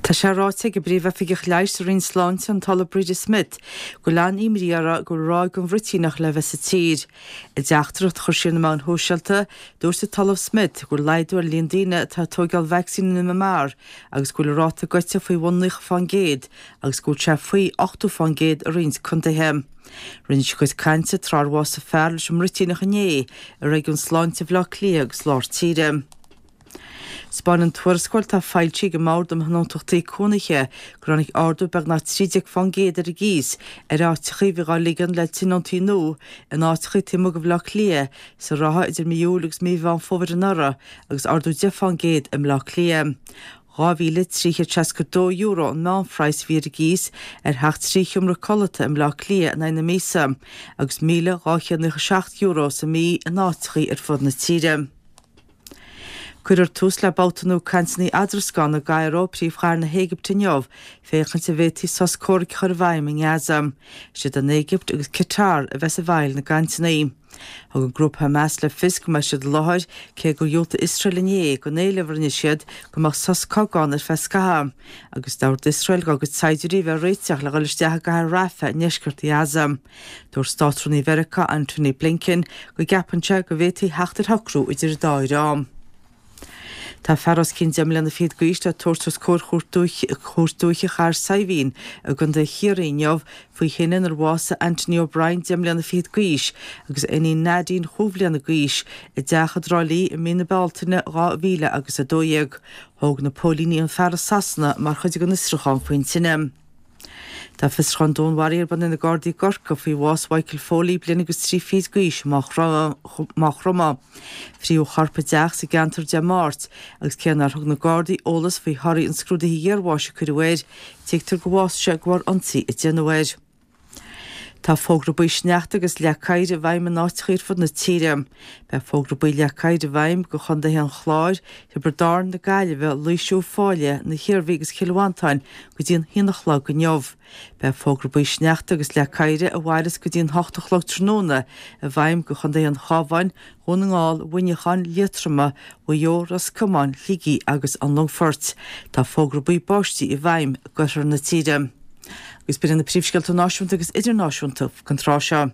Tá sé ráite ag an bPríomh-Oifigeach Leighis sa Roinn Sláinte, an tOllamh Breda Smith, go bhfuil an-imní orthu go bhfuil ráig den bhruitíneach le bheith sa tír. I dteachtaireacht a chuir sí ar na meáin shóisialta, dúirt an tOllamh Smith go bhfuil laghdú ar líon daoine atá ag tóigeáil vacsaín an MMR agus go bhfuil an ráta gaibhte faoi bhun 90% agus go bhfuil sé faoi 80% i roinnt contaetha. Rinne sí a cuid cainte tráth ar bhásaigh fear leis an mbruitíneach inné i réigiún sláinte Bhaile Átha Cliath agus lár tíre. 'Spáineann tuarascáil atá foilsithe ag an mBord um Thionóntachtaí Cónaithe gur tháinig ardú beagnach 13% ar an gcíos ar áiteachaí a bhí dhá ligean le tionóntaí nua in áiteachaí taobh amuigh de Bhaile Átha Cliath sa ráithe idir mí Iúil agus mí Mheán Fómhair anuraidh agus ardú 10% i mBaile Átha Cliath. €2,362 an meánphraghas a bhí ar an gcíos ar theach 3 sheomra codlata i mBaile Átha Cliath in aghaidh na míosa agus €1,297 sa mhí in áiteachaí ar fud na tíre. Cuirfear tús le babhta nua cainteanna eadrascána i gCairo, príomhchathair na hÉigipte inniu, féachaint an bhféadfaí sos comhraic a chur i bhfeidhm i nGaza. Is iad an Éigipt agus Qatar a bheas i bhfeighil na gcainteanna. Thug an grúpa Hamas le fios go mbeidh siad i láthair, cé gur dhiúltaigh Iosrael inné don éileamh a rinne siad go mbeadh sos cogaidh ann ar feadh scaithimh, agus d'ordaigh Iosrael dá gcuid saighdiúirí a bheith réiteach le dhul isteach i gcathair Rafah i ndeisceart Ghaza. Dúirt Státrúnaí Mheiriceá Antony Blinken go gceapann sé go bhféadfaí theacht ar shocrú idir an dá dhream. Tá fear os cionn deich mbliana fichead d'aois le tabhairt os comhair Chúirt Dúiche Chathair Saidhbhín i gContae Chiarraí inniu faoi thine inar bhásaigh Anthony O'Brien 10 mbliana fichead d'aois agus a iníon Nadine chúig bhliana d'aois i dteach i dTrá Lí i mí na Bealtaine 2000 agus 12. Thóg na póilíní an fear i Sasana mar chuid den fhiosrúchán faoin tine. Tá fiosrúchán dúnmharaithe ar bun ag na Gardaí i gCorcaigh faoi bhás Mhichael Foley, bliain agus 3 fichid d'aois, i Maigh Chromtha. Frítheadh a chorp i dteach sa gceantar Dé Máirt agus cé nár thug na Gardaí eolas faoi thorthaí an scrúdaithe iarbháis a cuireadh air, tuigtear gur bhásaigh sé de bharr ionsaí a déanadh air. Tá fógra buí sneachta agus leac oighir i bhfeidhm in áiteacha ar fud na tíre. Beidh fógra buí leac oighir i bhfeidhm do chontaetha an Chláir, Thiobraid Árann, na Gaillimhe, Laoise, Uíbh Fhailí, na hIarmhí agus Chill Mhantáin go dtí an haon a chlog inniu. Beidh fógra buí sneachta agus leac oighir a mhairfeas go dtí an hocht a chlog tráthnóna i bhfeidhm do chontaetha an Chabháin, Dhún na nGall, Mhuineacháin, Liatroma, Mhaigh Eo, Ros Comáin, Shligigh agus an Longfoirt. Tá fógra buí báistí i bhfeidhm d'oirthear na tíre. Agus b'in iad na príomhscéalta náisiúnta agus idirnáisiúnta don tráth seo.